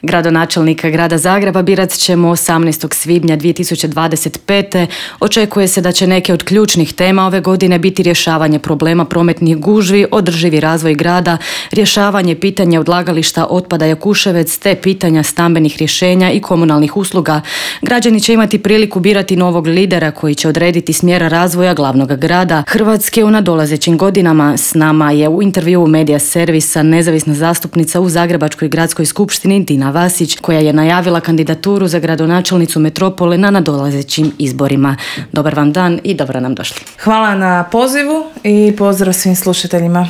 Gradonačelnika grada Zagreba birat ćemo 18. svibnja 2025. Očekuje se da će neke od ključnih tema ove godine biti rješavanje problema prometnih gužvi, održivi razvoj grada, rješavanje pitanja odlagališta otpada Jakuševec te pitanja stambenih rješenja i komunalnih usluga. Građani će imati priliku birati novog lidera koji će odrediti smjer razvoja glavnog grada Hrvatske u nadolazećim godinama. S nama je u intervjuu Medija servisa nezavisna zastupnica u Zagrebačkoj gradskoj skupštini Dina Vasić, koja je najavila kandidaturu za gradonačelnicu metropole na nadolazećim izborima. Dobar vam dan i dobro nam došli. Hvala na pozivu i pozdrav svim slušateljima.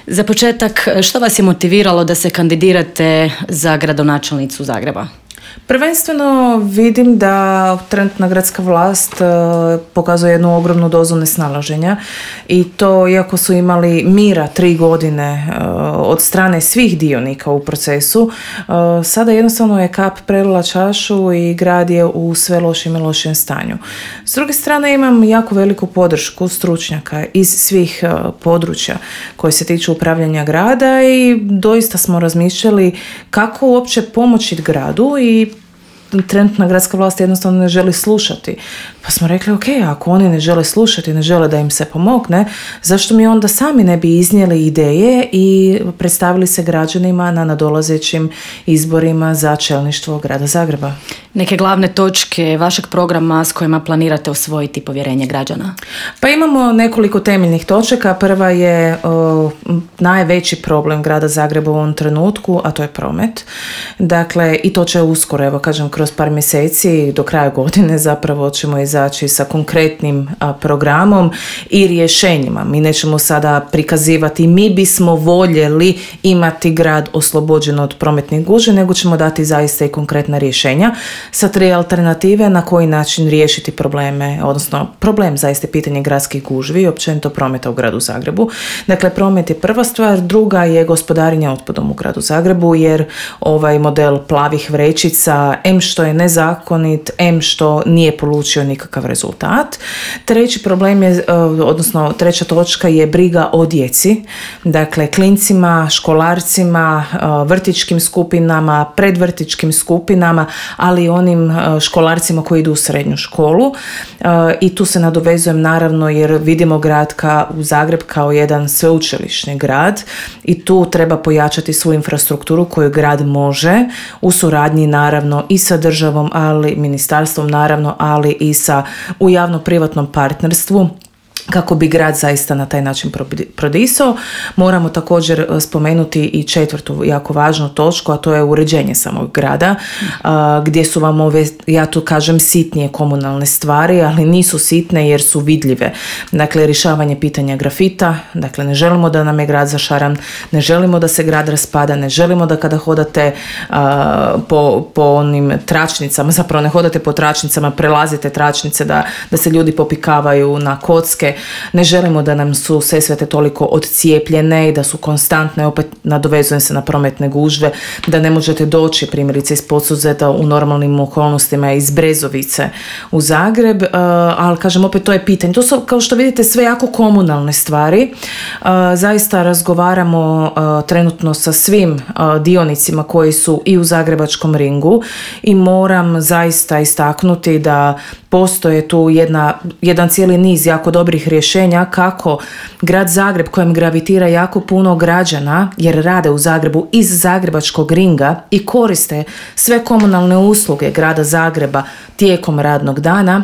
Za početak, što vas je motiviralo da se kandidirate za gradonačelnicu Zagreba? Prvenstveno vidim da trenutna gradska vlast pokazuje jednu ogromnu dozu nesnalaženja i to iako su imali mira 3 godine od strane svih dionika u procesu, sada jednostavno je kap prelila čašu i grad je u sve lošem i lošem stanju. S druge strane imam jako veliku podršku stručnjaka iz svih područja koje se tiču upravljanja grada i doista smo razmišljali kako uopće pomoći gradu i trenutna gradska vlast jednostavno ne želi slušati. Pa smo rekli, ok, ako oni ne žele slušati, ne žele da im se pomogne, zašto mi onda sami ne bi iznijeli ideje i predstavili se građanima na nadolazećim izborima za čelništvo grada Zagreba? Neke glavne točke vašeg programa s kojima planirate osvojiti povjerenje građana? Pa imamo nekoliko temeljnih točaka. Prva je najveći problem grada Zagreba u ovom trenutku, a to je promet. Dakle, i to će uskoro, evo kažem, kroz par mjeseci do kraja godine zapravo ćemo izaći sa konkretnim programom i rješenjima. Mi nećemo sada prikazivati mi bismo voljeli imati grad oslobođen od prometnih gužvi, nego ćemo dati zaista i konkretna rješenja sa 3 alternative na koji način riješiti probleme, odnosno problem zaista pitanje gradskih gužvi i općenito prometa u gradu Zagrebu. Dakle, promet je prva stvar, druga je gospodarenje otpadom u gradu Zagrebu, jer ovaj model plavih vrećica što je nezakonit, što nije polučio nikakav rezultat. Treći problem je, odnosno treća točka je briga o djeci, dakle klincima, školarcima, vrtićkim skupinama, predvrtićkim skupinama, ali i onim školarcima koji idu u srednju školu. I tu se nadovezujem naravno jer vidimo grad u Zagreb kao jedan sveučilišni grad i tu treba pojačati svu infrastrukturu koju grad može u suradnji naravno i sa državom, ali ministarstvom naravno, ali i u javno-privatnom partnerstvu kako bi grad zaista na taj način prodisao. Moramo također spomenuti i četvrtu jako važnu točku, a to je uređenje samog grada, gdje su vam ove, ja tu kažem, sitnije komunalne stvari, ali nisu sitne jer su vidljive. Dakle, rješavanje pitanja grafita, dakle ne želimo da nam je grad zašaran, ne želimo da se grad raspada, ne želimo da kada hodate po onim tračnicama, zapravo ne hodate po tračnicama, prelazite tračnice da se ljudi popikavaju na kocke. Ne želimo da nam su Sesvete toliko odcijepljene i da su konstantne, opet nadovezujem se na prometne gužve, da ne možete doći primjerice iz Podsuzeta u normalnim okolnostima iz Brezovice u Zagreb, ali kažem opet to je pitanje. To su kao što vidite sve jako komunalne stvari. Zaista razgovaramo trenutno sa svim dionicima koji su i u zagrebačkom ringu i moram zaista istaknuti da postoje tu jedan cijeli niz jako dobrih rješenja kako grad Zagreb, kojem gravitira jako puno građana jer rade u Zagrebu iz zagrebačkog ringa i koriste sve komunalne usluge grada Zagreba tijekom radnog dana.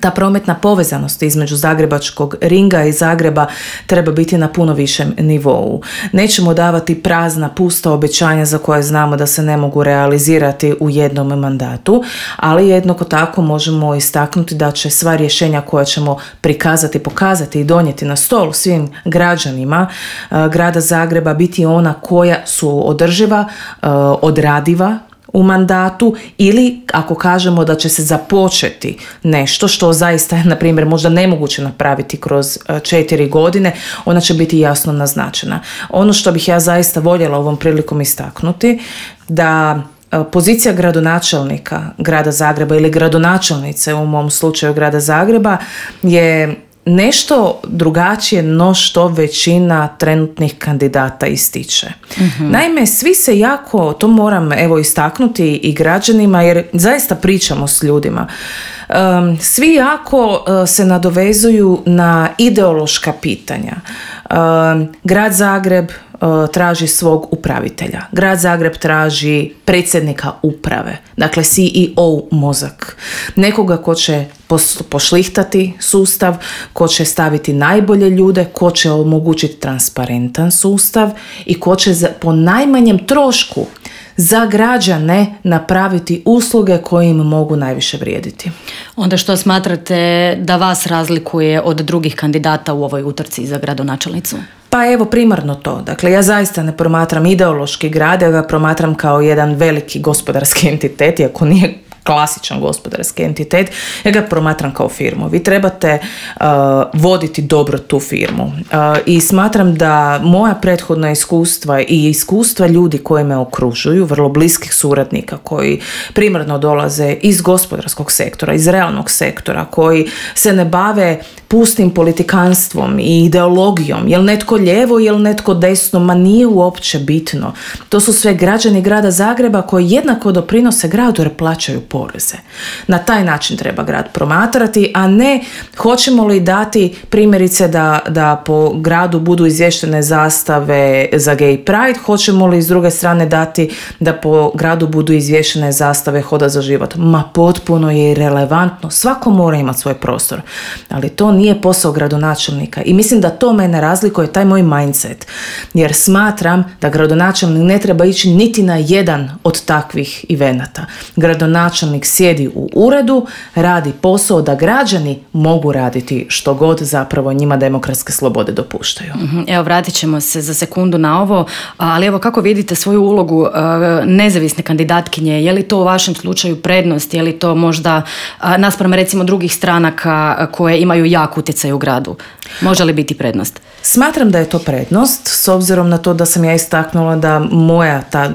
Ta prometna povezanost između zagrebačkog ringa i Zagreba treba biti na puno višem nivou. Nećemo davati prazna, pusta obećanja za koje znamo da se ne mogu realizirati u jednom mandatu, ali jednako tako možemo istaknuti da će sva rješenja koja ćemo prikazati, pokazati i donijeti na stol svim građanima grada Zagreba biti ona koja su održiva, odradiva u mandatu ili ako kažemo da će se započeti nešto što zaista je, na primjer, možda nemoguće napraviti kroz 4 godine, ona će biti jasno naznačena. Ono što bih ja zaista voljela ovom prilikom istaknuti, da pozicija gradonačelnika grada Zagreba ili gradonačelnice u mom slučaju grada Zagreba je nešto drugačije no što većina trenutnih kandidata ističe. Naime, svi se jako, to moram istaknuti i građanima, jer zaista pričamo s ljudima, svi jako se nadovezuju na ideološka pitanja. Grad Zagreb traži svog upravitelja. Grad Zagreb traži predsjednika uprave, dakle CEO mozak. Nekoga ko će pošlihtati sustav, ko će staviti najbolje ljude, ko će omogućiti transparentan sustav i ko će po najmanjem trošku za građane napraviti usluge koje im mogu najviše vrijediti. Onda što smatrate da vas razlikuje od drugih kandidata u ovoj utrci za gradonačelnicu? Pa evo, primarno to. Dakle, ja zaista ne promatram ideološki grad, ja ga promatram kao jedan veliki gospodarski entitet, iako nije klasičan gospodarski entitet, ja ga promatram kao firmu. Vi trebate voditi dobro tu firmu. I smatram da moja prethodna iskustva i iskustva ljudi koji me okružuju, vrlo bliskih suradnika koji primarno dolaze iz gospodarskog sektora, iz realnog sektora, koji se ne bave pustim politikanstvom i ideologijom, jel netko lijevo, jel netko desno, ma nije uopće bitno. To su sve građani grada Zagreba koji jednako doprinose gradu jer plaćaju poreze. Na taj način treba grad promatrati, a ne hoćemo li dati primjerice da po gradu budu izvještene zastave za Gay Pride, hoćemo li s druge strane dati da po gradu budu izvještene zastave Hoda za život. Ma potpuno je irelevantno, svako mora imati svoj prostor, ali to nije posao gradonačelnika i mislim da to mene razlikuje, taj moj mindset, jer smatram da gradonačelnik ne treba ići niti na jedan od takvih evenata. Gradonačelnik sjedi u uredu, radi posao da građani mogu raditi što god zapravo njima demokratske slobode dopuštaju. Evo, vratit ćemo se za sekundu na ovo, ali evo, kako vidite svoju ulogu nezavisne kandidatkinje? Je li to u vašem slučaju prednost? Je li to možda naspram recimo drugih stranaka koje imaju jak utjecaj u gradu? Može li biti prednost? Smatram da je to prednost, s obzirom na to da sam ja istaknula da moja ta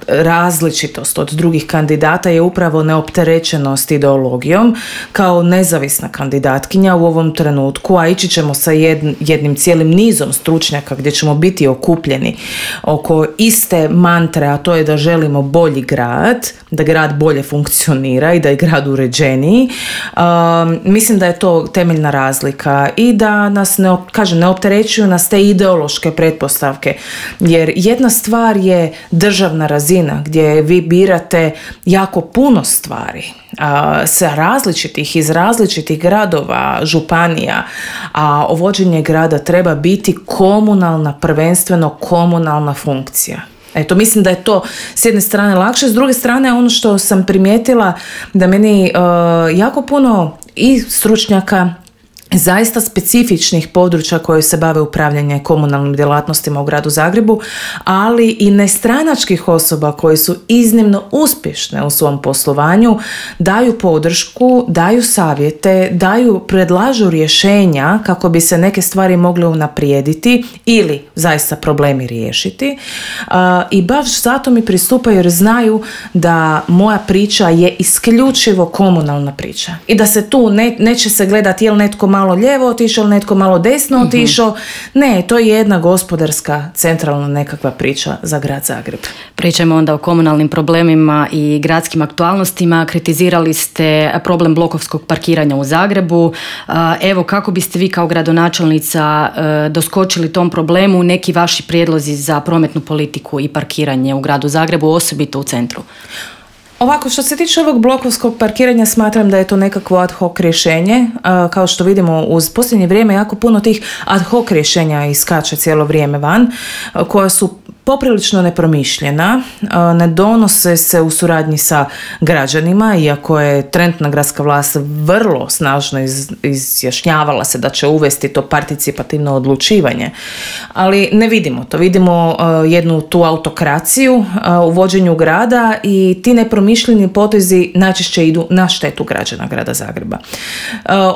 različitost od drugih kandidata je upravo neopterećenost ideologijom. Kao nezavisna kandidatkinja u ovom trenutku, a ići ćemo sa jednim cijelim nizom stručnjaka gdje ćemo biti okupljeni oko iste mantre, a to je da želimo bolji grad, da grad bolje funkcionira i da je grad uređeniji. Mislim da je to temeljna razlika i da nas ne opterećuju nas te ideološke pretpostavke, jer jedna stvar je državna razina gdje vi birate jako puno stvari iz različitih gradova, županija, a vođenje grada treba biti prvenstveno komunalna funkcija. Eto, mislim da je to s jedne strane lakše, s druge strane ono što sam primijetila da meni jako puno i stručnjaka zaista specifičnih područja koje se bave upravljanje komunalnim djelatnostima u gradu Zagrebu, ali i nestranačkih osoba koje su iznimno uspješne u svom poslovanju, daju podršku, daju savjete, predlažu rješenja kako bi se neke stvari mogle unaprijediti ili zaista problemi riješiti. I baš zato mi pristupaju jer znaju da moja priča je isključivo komunalna priča i da se tu neće se gledati je li netko malo lijevo otišao, netko malo desno otišao. Ne, to je jedna gospodarska, centralna nekakva priča za grad Zagreb. Pričajmo onda o komunalnim problemima i gradskim aktualnostima. Kritizirali ste problem blokovskog parkiranja u Zagrebu. Evo, kako biste vi kao gradonačelnica doskočili tom problemu, neki vaši prijedlozi za prometnu politiku i parkiranje u gradu Zagrebu, osobito u centru? Ovako, što se tiče ovog blokovskog parkiranja, smatram da je to nekakvo ad hoc rješenje. Kao što vidimo, uz posljednje vrijeme jako puno tih ad hoc rješenja iskače cijelo vrijeme van, koja su poprilično nepromišljena, ne donose se u suradnji sa građanima, iako je trenutna gradska vlast vrlo snažno izjašnjavala se da će uvesti to participativno odlučivanje. Ali ne vidimo to. Vidimo jednu tu autokraciju u vođenju grada i ti nepromišljeni potezi najčešće idu na štetu građana grada Zagreba.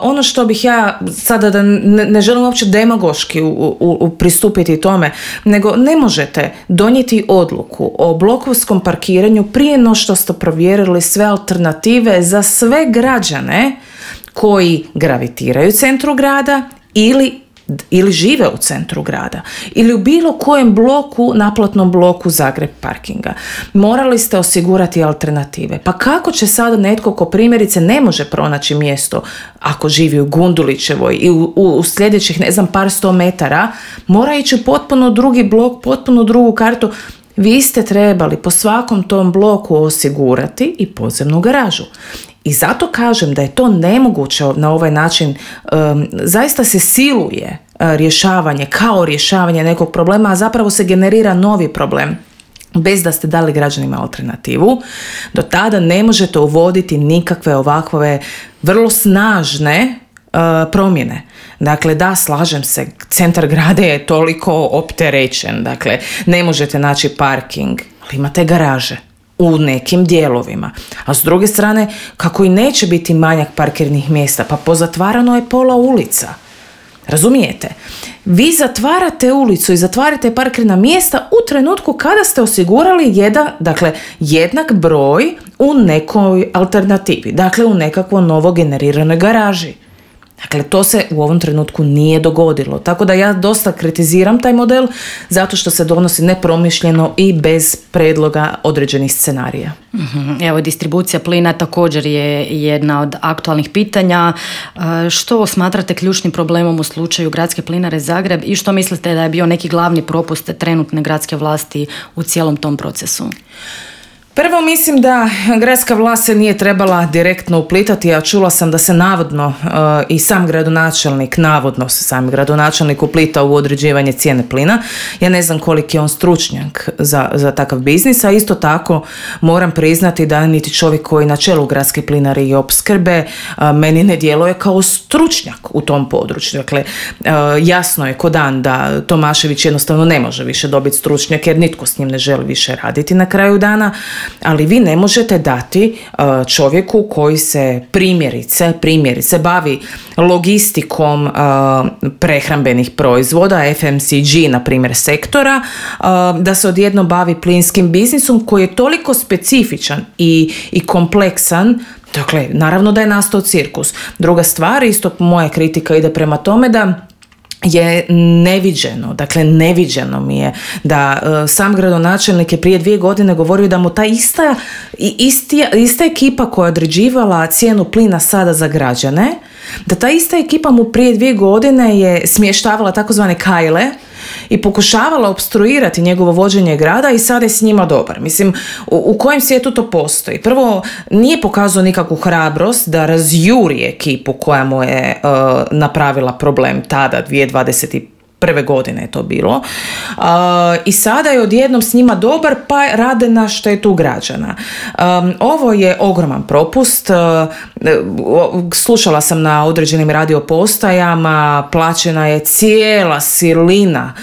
Ono što bih ja sada, da ne želim uopće demagoški pristupiti tome, nego ne možete donijeti odluku o blokovskom parkiranju prije no što ste provjerili sve alternative za sve građane koji gravitiraju centru grada ili žive u centru grada ili u bilo kojem bloku, naplatnom bloku Zagreb parkinga. Morali ste osigurati alternative. Pa kako će sada netko ko primjerice ne može pronaći mjesto ako živi u Gundulićevoj i u sljedećih par 100 metara, mora ići u potpuno drugi blok, potpuno drugu kartu. Vi ste trebali po svakom tom bloku osigurati i podzemnu garažu. I zato kažem da je to nemoguće na ovaj način, zaista se siluje rješavanje, kao rješavanje nekog problema, a zapravo se generira novi problem. Bez da ste dali građanima alternativu, do tada ne možete uvoditi nikakve ovakve vrlo snažne promjene. Dakle, da, slažem se, centar grada je toliko opterećen, dakle, ne možete naći parking, ali imate garaže u nekim dijelovima. A s druge strane, kako i neće biti manjak parkirnih mjesta, pa pozatvarano je pola ulica. Razumijete? Vi zatvarate ulicu i zatvarate parkirna mjesta u trenutku kada ste osigurali jednak broj u nekoj alternativi, dakle u nekakvo novo generiranoj garaži. Dakle, to se u ovom trenutku nije dogodilo. Tako da ja dosta kritiziram taj model zato što se donosi nepromišljeno i bez predloga određenih scenarija. Evo, distribucija plina također je jedna od aktualnih pitanja. Što smatrate ključnim problemom u slučaju Gradske plinare Zagreb i što mislite da je bio neki glavni propust trenutne gradske vlasti u cijelom tom procesu? Prvo, mislim da gradska vlast se nije trebala direktno uplitati, a čula sam da se navodno i sam gradonačelnik uplitao u određivanje cijene plina. Ja ne znam koliki je on stručnjak za takav biznis, a isto tako moram priznati da niti čovjek koji na čelu Gradske plinare i opskrbe meni ne djeluje kao stručnjak u tom području. Dakle, jasno je ko dan da Tomašević jednostavno ne može više dobiti stručnjak jer nitko s njim ne želi više raditi na kraju dana. Ali vi ne možete dati čovjeku koji se primjerice bavi logistikom prehrambenih proizvoda, FMCG na primjer sektora, da se odjednom bavi plinskim biznisom koji je toliko specifičan i kompleksan. Dakle, naravno da je nastao cirkus. Druga stvar, isto moja kritika ide prema tome da je neviđeno mi je da sam gradonačelnik je prije 2 godine govorio da mu ta ista ekipa koja je određivala cijenu plina sada za građane, da ta ista ekipa mu prije 2 godine je smještavala takozvane kajle i pokušavala opstruirati njegovo vođenje grada i sada je s njima dobar. Mislim, u kojem svijetu to postoji? Prvo, nije pokazao nikakvu hrabrost da razjuri ekipu koja mu je napravila problem tada, 2021. godine je to bilo. I sada je odjednom s njima dobar, pa rade na štetu građana. Ovo je ogroman propust. Slušala sam na određenim radiopostajama, plaćena je cijela silina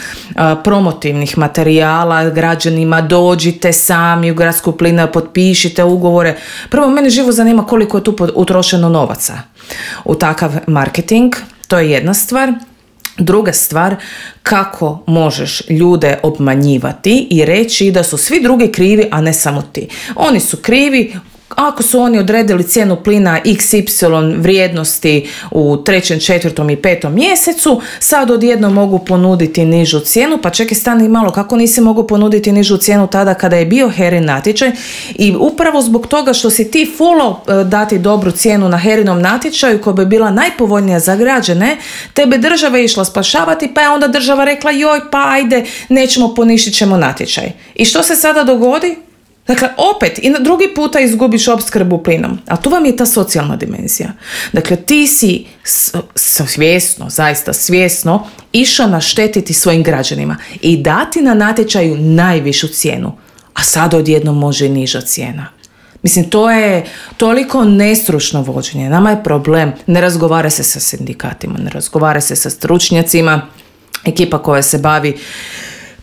promotivnih materijala građanima, dođite sami u Gradsku plinaru, potpišite ugovore. Prvo, mene živo zanima koliko je tu utrošeno novaca u takav marketing, to je jedna stvar. Druga stvar, kako možeš ljude obmanjivati i reći da su svi drugi krivi, a ne samo ti. Oni su krivi ako su oni odredili cijenu plina XY vrijednosti u 3., 4. i 5. mjesecu, sad odjedno mogu ponuditi nižu cijenu, pa čekaj, stani malo, kako nisi mogu ponuditi nižu cijenu tada kada je bio HERA-in natječaj i upravo zbog toga što si ti fulao dati dobru cijenu na HERA-inom natječaju koja bi bila najpovoljnija za građane, tebe država je išla spašavati, pa je onda država rekla joj, pa ajde, nećemo, poništit ćemo natječaj. I što se sada dogodi? Dakle, opet i na drugi puta izgubiš opskrbu plinom. A tu vam je ta socijalna dimenzija. Dakle, ti si zaista svjesno išao naštetiti svojim građanima i dati na natječaju najvišu cijenu. A sad odjednom može i niža cijena. Mislim, to je toliko nestručno vođenje. Nama je problem. Ne razgovara se sa sindikatima, ne razgovara se sa stručnjacima. Ekipa koja se bavi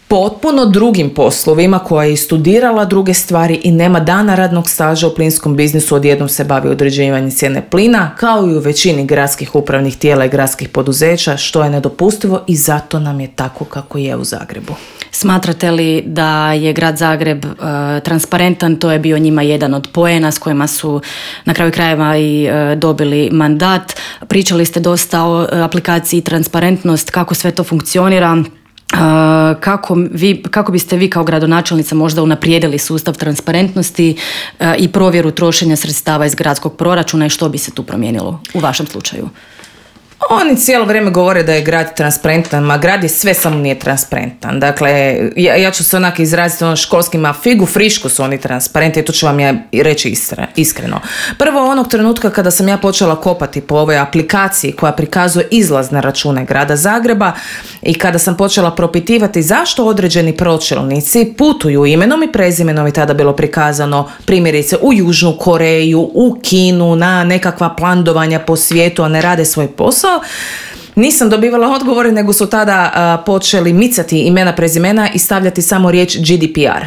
potpuno drugim poslovima, koja je studirala druge stvari i nema dana radnog staža u plinskom biznisu, odjednom se bavi određivanjem cijene plina, kao i u većini gradskih upravnih tijela i gradskih poduzeća, što je nedopustivo i zato nam je tako kako je u Zagrebu. Smatrate li da je grad Zagreb transparentan? To je bio njima jedan od poena s kojima su na kraju krajeva i dobili mandat. Pričali ste dosta o aplikaciji Transparentnost, kako sve to funkcionira. Kako biste vi kao gradonačelnica možda unaprijedili sustav transparentnosti i provjeru trošenja sredstava iz gradskog proračuna i što bi se tu promijenilo u vašem slučaju? Oni cijelo vrijeme govore da je grad transparentan, ma grad je sve samo nije transparentan. Dakle, ja ću se onak izraziti školskima, figu frišku su oni transparentni, to ću vam ja reći iskreno. Prvo, onog trenutka kada sam ja počela kopati po ovoj aplikaciji koja prikazuje izlaz na račune grada Zagreba i kada sam počela propitivati zašto određeni pročelnici putuju imenom i prezimenom, i tada bilo prikazano primjerice u Južnu Koreju, u Kinu, na nekakva plandovanja po svijetu, a ne rade svoj posao, nisam dobivala odgovore, nego su tada počeli micati imena, prezimena i stavljati samo riječ GDPR.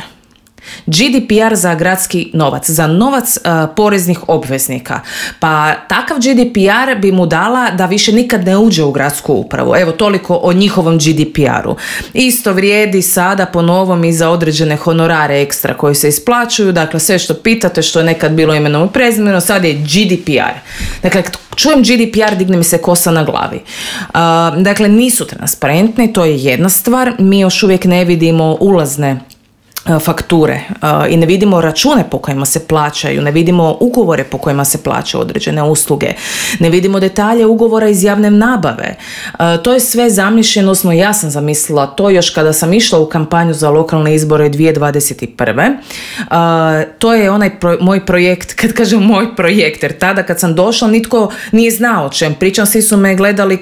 GDPR za gradski novac, za novac poreznih obveznika. Pa takav GDPR bi mu dala da više nikad ne uđe u gradsku upravu. Evo, toliko o njihovom GDPR-u. Isto vrijedi sada po novom i za određene honorare ekstra koji se isplaćuju. Dakle, sve što pitate, što je nekad bilo imenom i prezimenom, sad je GDPR. Dakle, čujem GDPR, digne mi se kosa na glavi. Dakle, nisu transparentni, to je jedna stvar. Mi još uvijek ne vidimo ulazne fakture i ne vidimo račune po kojima se plaćaju, ne vidimo ugovore po kojima se plaćaju određene usluge, ne vidimo detalje ugovora iz javne nabave. To je sve zamišljeno, odnosno ja sam zamislila to još kada sam išla u kampanju za lokalne izbore 2021. To je onaj moj projekt, kad kažem moj projekt, jer tada kad sam došla nitko nije znao o čem pričam, svi su me gledali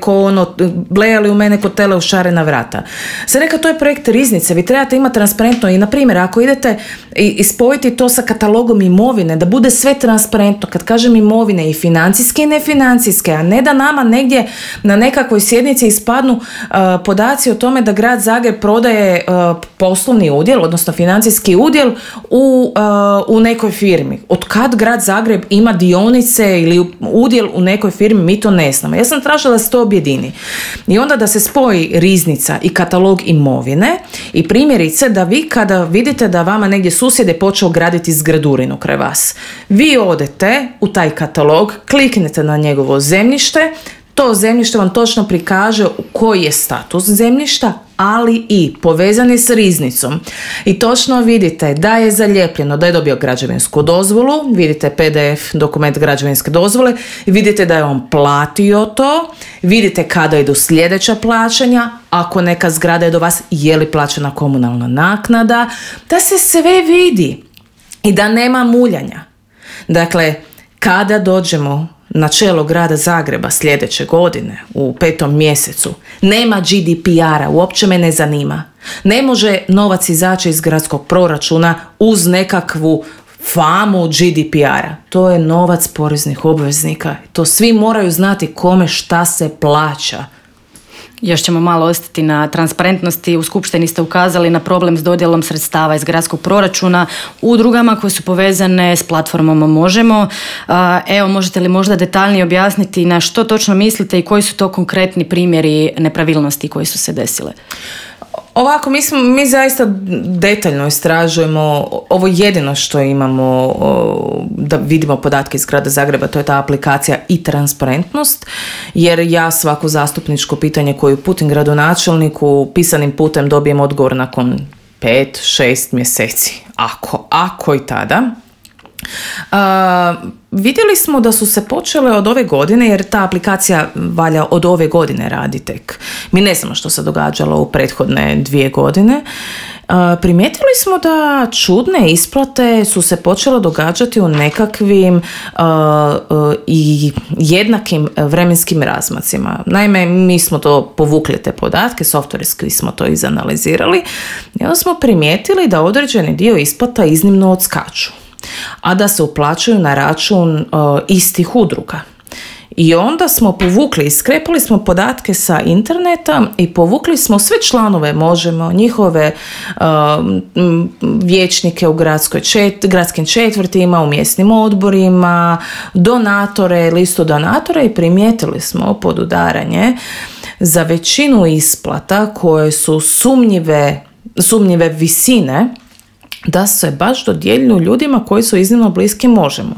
blejali u mene ko tele u šarena vrata. Sad neka, to je projekt riznice, vi trebate imati transparentno i na primjer ako idete i spojiti to sa katalogom imovine, da bude sve transparentno, kad kažem imovine i financijske i nefinancijske, a ne da nama negdje na nekakvoj sjednici ispadnu podaci o tome da grad Zagreb prodaje poslovni udjel, odnosno financijski udjel u nekoj firmi. Od kad grad Zagreb ima dionice ili udjel u nekoj firmi, mi to ne znamo. Ja sam tražila da se to objedini. I onda da se spoji riznica i katalog imovine i primjerice da vi kada vidite da vama negdje susjed je počeo graditi zgradurinu kraj vas, vi odete u taj katalog, kliknete na njegovo zemljište, to zemljište vam točno prikaže koji je status zemljišta, ali i povezan je s riznicom. I točno vidite da je zalijepljeno, da je dobio građevinsku dozvolu, vidite PDF dokument građevinske dozvole, vidite da je on platio to, vidite kada idu sljedeća plaćanja, ako neka zgrada je do vas, je li plaćena komunalna naknada, da se sve vidi i da nema muljanja. Dakle, kada dođemo na čelo grada Zagreba sljedeće godine u 5. mjesecu, nema GDPR-a, uopće me ne zanima. Ne može novac izaći iz gradskog proračuna uz nekakvu famu GDPR-a. To je novac poreznih obveznika. To svi moraju znati kome šta se plaća. Još ćemo malo ostati na transparentnosti. U skupštini ste ukazali na problem s dodjelom sredstava iz gradskog proračuna udrugama koje su povezane s platformom Možemo. Evo, možete li možda detaljnije objasniti na što točno mislite i koji su to konkretni primjeri nepravilnosti koji su se desile? Ovako, mi zaista detaljno istražujemo. Ovo jedino što imamo da vidimo podatke iz grada Zagreba, to je ta aplikacija i transparentnost, jer ja svako zastupničko pitanje koje uputim gradonačelniku pisanim putem dobijem odgovor nakon 5-6 mjeseci. Ako i tada. Vidjeli smo da su se počele od ove godine, jer ta aplikacija valja od ove godine radi tek. Mi ne znamo što se događalo u prethodne 2 godine. Primijetili smo da čudne isplate su se počele događati u nekakvim i jednakim vremenskim razmacima. Naime, mi smo to povukli te podatke, softverski smo to izanalizirali i onda smo primijetili da određeni dio isplata iznimno odskaču, a da se uplaćuju na račun istih udruga. I onda smo povukli, iskrepali smo podatke sa interneta i povukli smo sve članove Možemo, njihove vijećnike u gradskim četvrtima, u mjesnim odborima, donatore, listu donatora i primijetili smo podudaranje za većinu isplata koje su sumnjive visine, da se baš dodjeljuju ljudima koji su iznimno bliski Možemo.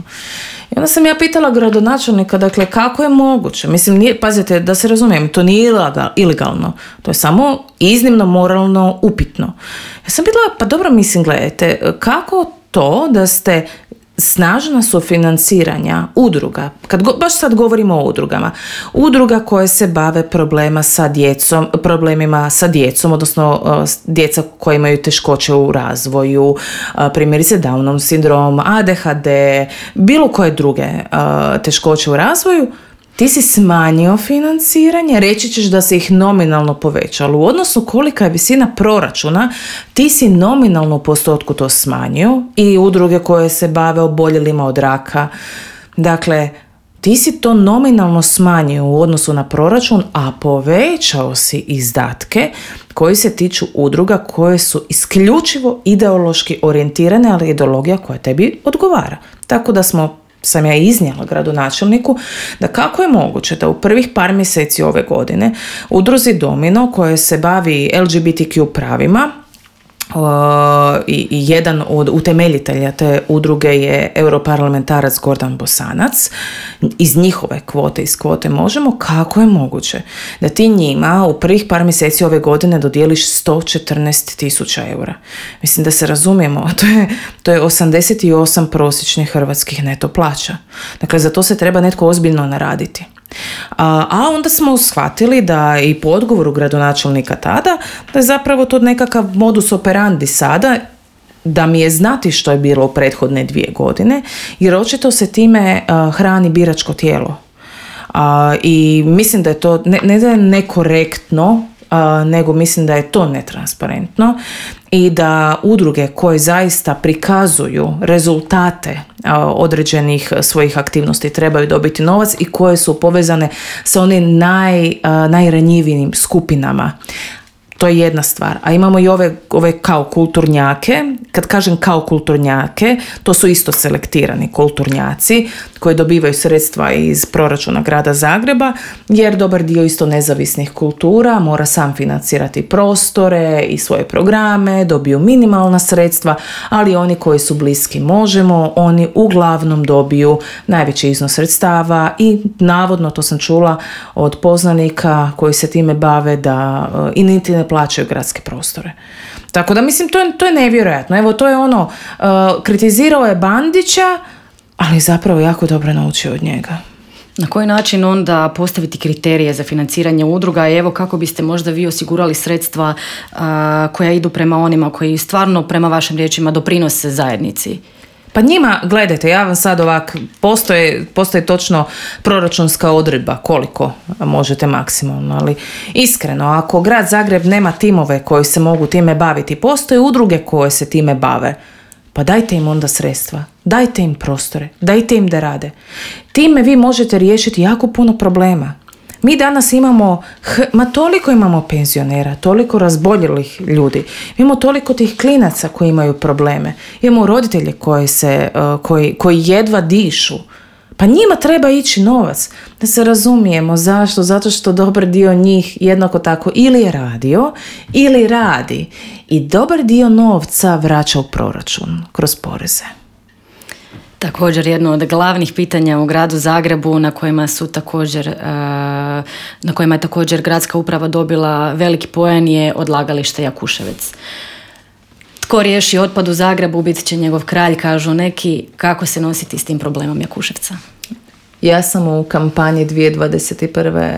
I onda sam ja pitala gradonačelnika, dakle, kako je moguće? Mislim, pazite, da se razumijem, to nije ilegalno, to je samo iznimno moralno upitno. Ja sam pitala, pa dobro, mislim, gledajte, kako to da ste snažna sufinanciranja udruga, baš sad govorimo o udruga koje se bave problemima sa djecom, odnosno djeca koja imaju teškoće u razvoju, primjerice Downov sindrom, ADHD, bilo koje druge teškoće u razvoju, ti si smanjio financiranje, reći ćeš da si ih nominalno povećao. U odnosu kolika je visina proračuna, ti si nominalno u postotku to smanjio i udruge koje se bave oboljelima od raka. Dakle, ti si to nominalno smanjio u odnosu na proračun, a povećao si izdatke koji se tiču udruga koje su isključivo ideološki orijentirane, ali ideologija koja tebi odgovara. Tako da sam ja iznijela gradonačelniku da kako je moguće da u prvih par mjeseci ove godine udruzi Domino koje se bavi LGBTQ pravima i jedan od utemeljitelja te udruge je europarlamentarac Gordan Bosanac iz njihove kvote, iz kvote Možemo, kako je moguće da ti njima u prvih par mjeseci ove godine dodijeliš 114.000 eura. Mislim da se razumijemo, to je 88 prosječnih hrvatskih neto plaća. Dakle, za to se treba netko ozbiljno naraditi. A onda smo shvatili da i po odgovoru gradonačelnika tada, da je zapravo to nekakav modus operandi sada, da mi je znati što je bilo u prethodne 2 godine, jer očito se time hrani biračko tijelo. I mislim da je to ne da je nekorektno, nego mislim da je to netransparentno i da udruge koje zaista prikazuju rezultate određenih svojih aktivnosti trebaju dobiti novac i koje su povezane sa onim najranjivijim skupinama. To je jedna stvar. A imamo i ove kao kulturnjake. Kad kažem kao kulturnjake, to su isto selektirani kulturnjaci koji dobivaju sredstva iz proračuna grada Zagreba, jer dobar dio isto nezavisnih kultura mora sam financirati prostore i svoje programe, dobiju minimalna sredstva, ali oni koji su bliski Možemo, oni uglavnom dobiju najveći iznos sredstava i navodno, to sam čula od poznanika koji se time bave, da i niti ne plaćaju gradske prostore. Tako da mislim, to je nevjerojatno. Evo, to je ono, kritizirao je Bandića, ali zapravo jako dobro naučio od njega. Na koji način onda postaviti kriterije za financiranje udruga i evo kako biste možda vi osigurali sredstva koja idu prema onima koji stvarno prema vašim riječima doprinose zajednici? Pa njima, gledajte, ja vam sad postoji točno proračunska odredba koliko možete maksimalno, ali iskreno, ako grad Zagreb nema timove koji se mogu time baviti, postoje udruge koje se time bave, pa dajte im onda sredstva, dajte im prostore, dajte im da rade. Time vi možete riješiti jako puno problema. Mi danas toliko imamo penzionera, toliko razboljelih ljudi, imamo toliko tih klinaca koji imaju probleme, imamo roditelje koji jedva dišu. Pa njima treba ići novac. Da se razumijemo zašto? Zato što dobar dio njih jednako tako ili je radio ili radi i dobar dio novca vraća u proračun kroz poreze. Također jedno od glavnih pitanja u gradu Zagrebu na kojima je također gradska uprava dobila veliki poen je odlagalište Jakuševec. Tko riješi otpad u Zagrebu bit će njegov kralj, kažu neki. Kako se nositi s tim problemom Jakuševca? Ja sam u kampanji 2021.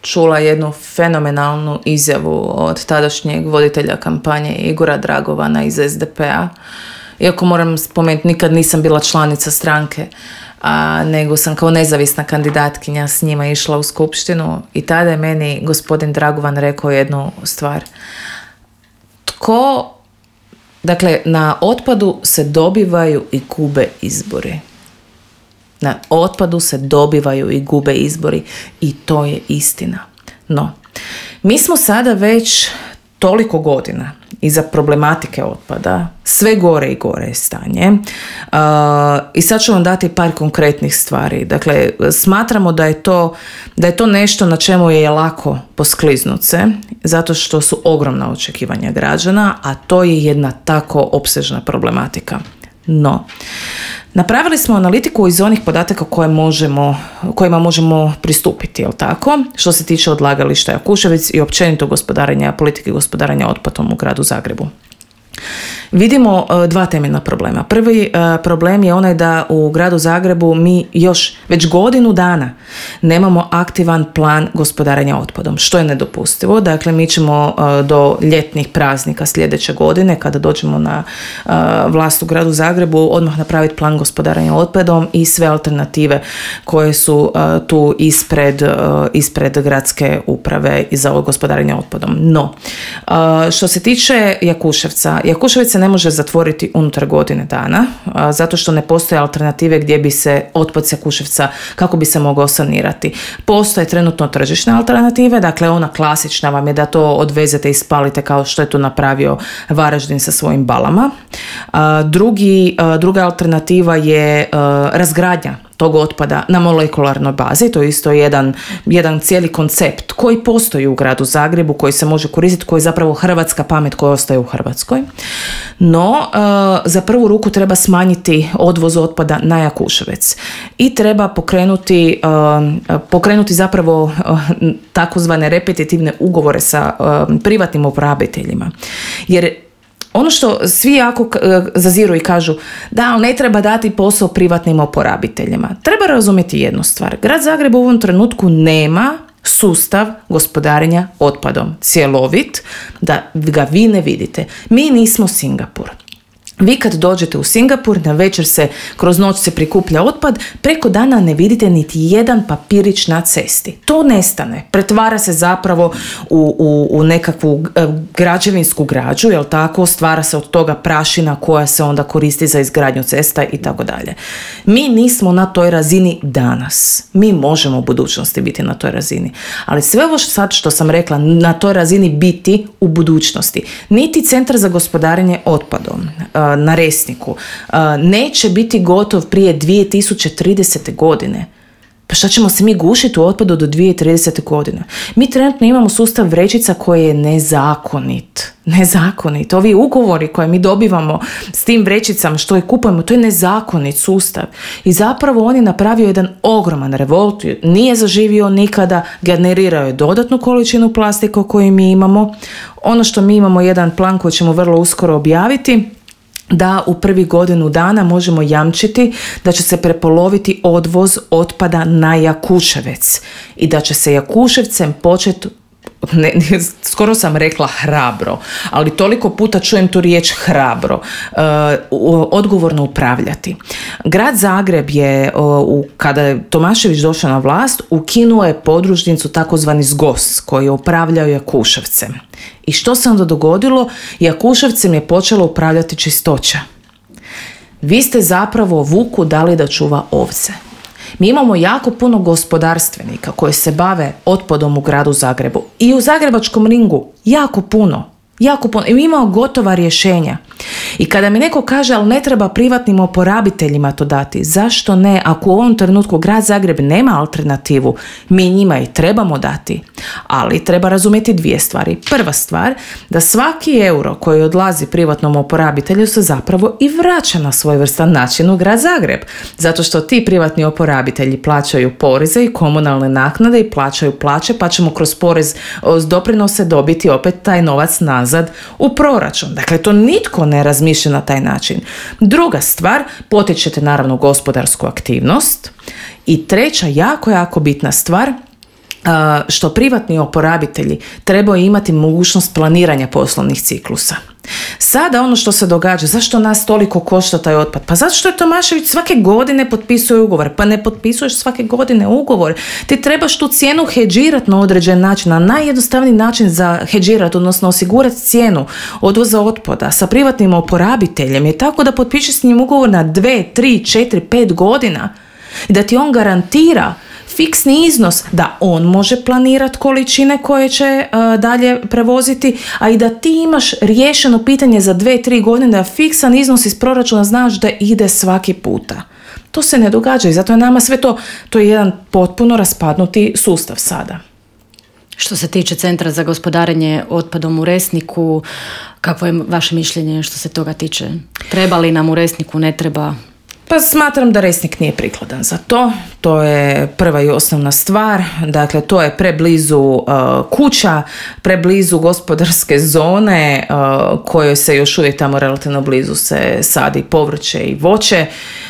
čula jednu fenomenalnu izjavu od tadašnjeg voditelja kampanje Igora Dragovana iz SDP-a. Iako moram spomenuti, nikad nisam bila članica stranke, nego sam kao nezavisna kandidatkinja s njima išla u skupštinu i tada je meni gospodin Dragovan rekao jednu stvar. Dakle, na otpadu se dobivaju i gube izbori. Na otpadu se dobivaju i gube izbori i to je istina. No, mi smo sada već toliko godina iza problematike otpada, sve gore i gore je stanje. I sad ću vam dati par konkretnih stvari. Dakle, smatramo da je to nešto na čemu je lako poskliznuti se, zato što su ogromna očekivanja građana, a to je jedna tako opsežna problematika. No, napravili smo analitiku iz onih podataka kojima možemo pristupiti, jel tako? Što se tiče odlagališta Jakuševec i općenito politike gospodarenja otpadom u gradu Zagrebu. Vidimo dva temeljna problema. Prvi problem je onaj da u gradu Zagrebu mi još već godinu dana nemamo aktivan plan gospodarenja otpadom, što je nedopustivo. Dakle, mi ćemo do ljetnih praznika sljedeće godine, kada dođemo na vlast u gradu Zagrebu, odmah napraviti plan gospodarenja otpadom i sve alternative koje su tu ispred gradske uprave i za gospodarenje otpadom. No, što se tiče Jakuševca, Jakuševec se ne može zatvoriti unutar godine dana, zato što ne postoje alternative gdje bi se otpad sa Jakuševca, kako bi se mogao sanirati. Postoje trenutno tržišne alternative, dakle ona klasična vam je da to odvezete i spalite kao što je to napravio Varaždin sa svojim balama. Druga alternativa je razgradnja tog otpada na molekularnoj bazi. To je isto jedan cijeli koncept koji postoji u gradu Zagrebu, koji se može koristiti, koji je zapravo hrvatska pamet koja ostaje u Hrvatskoj. No, za prvu ruku treba smanjiti odvoz otpada na Jakuševec i treba pokrenuti zapravo takozvane repetitivne ugovore sa privatnim uporabiteljima. Jer ono što svi jako zaziru i kažu, da, ali ne treba dati posao privatnim oporabiteljima. Treba razumjeti jednu stvar. Grad Zagreb u ovom trenutku nema sustav gospodarenja otpadom cjelovit, da ga vi ne vidite. Mi nismo Singapur. Vi kad dođete u Singapur, na večer se, kroz noć se prikuplja otpad, preko dana ne vidite niti jedan papirić na cesti. To nestane. Pretvara se zapravo u nekakvu građevinsku građu, jel tako? Stvara se od toga prašina koja se onda koristi za izgradnju cesta i tako dalje. Mi nismo na toj razini danas. Mi možemo u budućnosti biti na toj razini. Ali sve ovo sad što sam rekla, na toj razini biti u budućnosti. Niti Centar za gospodarenje otpadom na Resniku neće biti gotov prije 2030. godine. Pa šta ćemo se mi gušiti u otpadu do 2030. godine? Mi trenutno imamo sustav vrećica koji je nezakonit. Ovi ugovori koje mi dobivamo s tim vrećicama što ih kupujemo, to je nezakonit sustav. I zapravo on je napravio jedan ogroman revolt, nije zaživio nikada, generirao je dodatnu količinu plastika koju mi imamo. Ono što mi imamo jedan plan koji ćemo vrlo uskoro objaviti, da u prvih godinu dana možemo jamčiti da će se prepoloviti odvoz otpada na Jakuševec i da će se Jakuševcem početi, skoro sam rekla hrabro, ali toliko puta čujem tu riječ hrabro, odgovorno upravljati. Grad Zagreb je, kada je Tomašević došao na vlast, ukinuo je podružnicu takozvani ZGOS koji je upravljao Jakuševcem. I što se onda dogodilo? Jakuševcem je počelo upravljati Čistoća. Vi ste zapravo vuku dali da čuva ovce. Mi imamo jako puno gospodarstvenika koji se bave otpadom u gradu Zagrebu i u Zagrebačkom ringu jako puno. I mi imamo gotova rješenja. I kada mi neko kaže, ali ne treba privatnim oporabiteljima to dati, zašto ne? Ako u ovom trenutku grad Zagreb nema alternativu, mi njima i trebamo dati. Ali treba razumjeti dvije stvari. Prva stvar, da svaki euro koji odlazi privatnom oporabitelju se zapravo i vraća na svojevrstan način u grad Zagreb. Zato što ti privatni oporabitelji plaćaju poreze i komunalne naknade i plaćaju plaće, pa ćemo kroz porez doprinose dobiti opet taj novac nazad u proračun. Dakle, to nitko ne razmišlja na taj način. Druga stvar, potičete naravno gospodarsku aktivnost. I treća, jako bitna stvar, što privatni oporabitelji trebaju imati mogućnost planiranja poslovnih ciklusa. Sada ono što se događa, zašto nas toliko košta taj otpad? Pa zato što je Tomašević svake godine potpisuje ugovor. Pa ne potpisuješ svake godine ugovor. Ti trebaš tu cijenu hedžirati na određen način, na najjednostavniji način za hedžirati, odnosno osigurati cijenu odvoza otpada sa privatnim oporabiteljem je tako da potpišeš s njim ugovor na 2, 3, 4, 5 godina. i da ti on garantira fiksni iznos da on može planirati količine koje će dalje prevoziti, a i da ti imaš riješeno pitanje za 2-3 godine, da fiksan iznos iz proračuna znaš da ide svaki puta. To se ne događa i zato je nama sve to je jedan potpuno raspadnuti sustav sada. Što se tiče Centra za gospodarenje otpadom u Resniku, kakvo je vaše mišljenje što se toga tiče? Treba li nam u Resniku, ne treba? Pa smatram da Resnik nije prikladan za to. To je prva i osnovna stvar. Dakle, to je preblizu kuća, preblizu gospodarske zone kojoj se još uvijek tamo relativno blizu se sadi povrće i voće.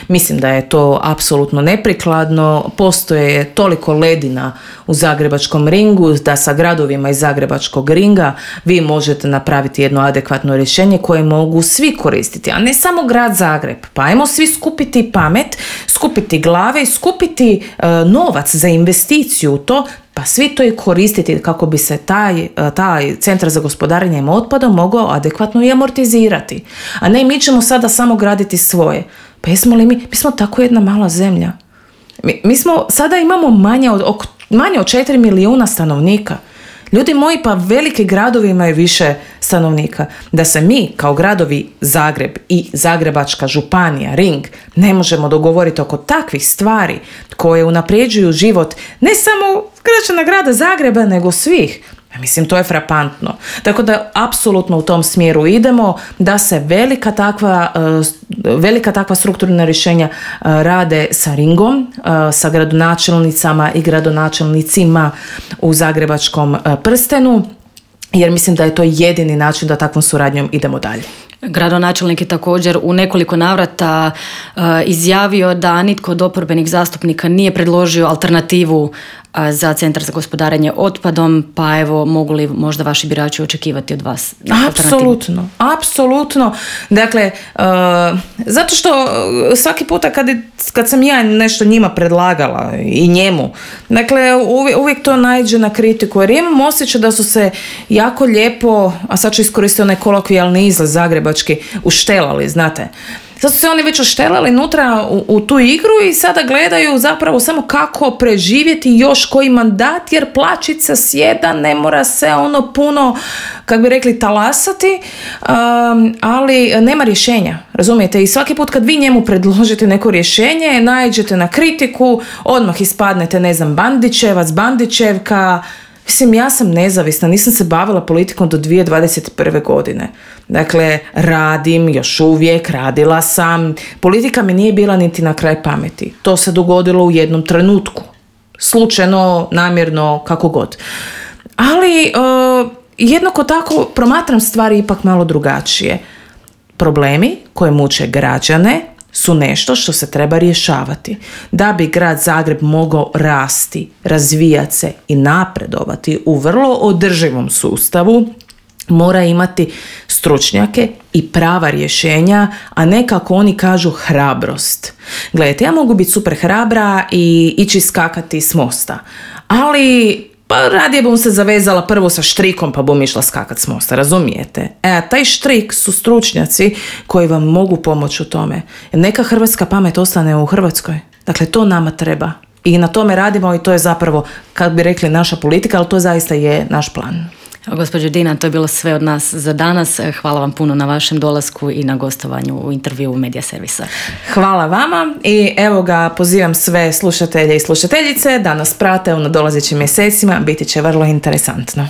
Mislim da je to apsolutno neprikladno. Postoje toliko ledina u Zagrebačkom ringu da sa gradovima iz Zagrebačkog ringa vi možete napraviti jedno adekvatno rješenje koje mogu svi koristiti, a ne samo grad Zagreb. Pa ajmo svi skupiti pamet, skupiti glave i skupiti novac za investiciju u to, pa svi to i koristiti kako bi se taj centar za gospodarenje otpadom mogao adekvatno i amortizirati. A ne, mi ćemo sada samo graditi svoje. Pa jesmo li mi smo tako jedna mala zemlja. Mi smo, sada imamo manje od 4 milijuna stanovnika. Ljudi moji, pa veliki gradovi imaju više stanovnika. Da se mi kao gradovi Zagreb i Zagrebačka županija, Ring, ne možemo dogovoriti oko takvih stvari koje unapređuju život ne samo građana grada Zagreba, nego svih. Mislim, to je frapantno. Tako da apsolutno u tom smjeru idemo, da se velika takva strukturna rješenja rade sa Ringom, sa gradonačelnicama i gradonačelnicima u Zagrebačkom prstenu, jer mislim da je to jedini način da takvom suradnjom idemo dalje. Gradonačelnik je također u nekoliko navrata izjavio da nitko od oporbenih zastupnika nije predložio alternativu za Centar za gospodarenje otpadom, pa evo, mogu li možda vaši birači očekivati od vas? Apsolutno. Dakle, zato što svaki puta kad sam ja nešto njima predlagala i njemu, dakle, uvijek to naiđe na kritiku, jer imam osjećaj da su se jako lijepo, a sad ću iskoristiti onaj kolokvijalni izraz zagrebački, uštelali, znate. Sad su se oni već oštelali unutra u tu igru i sada gledaju zapravo samo kako preživjeti još koji mandat, jer plaćica sjeda, ne mora se puno, kako bi rekli, talasati, ali nema rješenja, razumijete? I svaki put kad vi njemu predložite neko rješenje, naiđete na kritiku, odmah ispadnete, ne znam, Bandićevac, Bandićevka. Mislim, ja sam nezavisna, nisam se bavila politikom do 2021. godine. Dakle, radim, još uvijek, radila sam. Politika mi nije bila niti na kraj pameti. To se dogodilo u jednom trenutku. Slučajno, namjerno, kako god. Ali, jednako tako promatram stvari ipak malo drugačije. Problemi koje muče građane su nešto što se treba rješavati. Da bi grad Zagreb mogao rasti, razvijati se i napredovati u vrlo održivom sustavu, mora imati stručnjake i prava rješenja, a ne kako oni kažu hrabrost. Gledajte, ja mogu biti super hrabra i ići skakati s mosta, ali pa radije bom se zavezala prvo sa štrikom pa bom išla skakat s mosta, razumijete? A taj štrik su stručnjaci koji vam mogu pomoći u tome. Neka hrvatska pamet ostane u Hrvatskoj. Dakle, to nama treba. I na tome radimo i to je zapravo, kako bi rekli, naša politika, ali to zaista je naš plan. Gospođo Dina, to je bilo sve od nas za danas. Hvala vam puno na vašem dolasku i na gostovanju u intervjuu Medija Servisa. Hvala vama i evo ga, pozivam sve slušatelje i slušateljice da nas prate u nadolazećim mjesecima, biti će vrlo interesantno.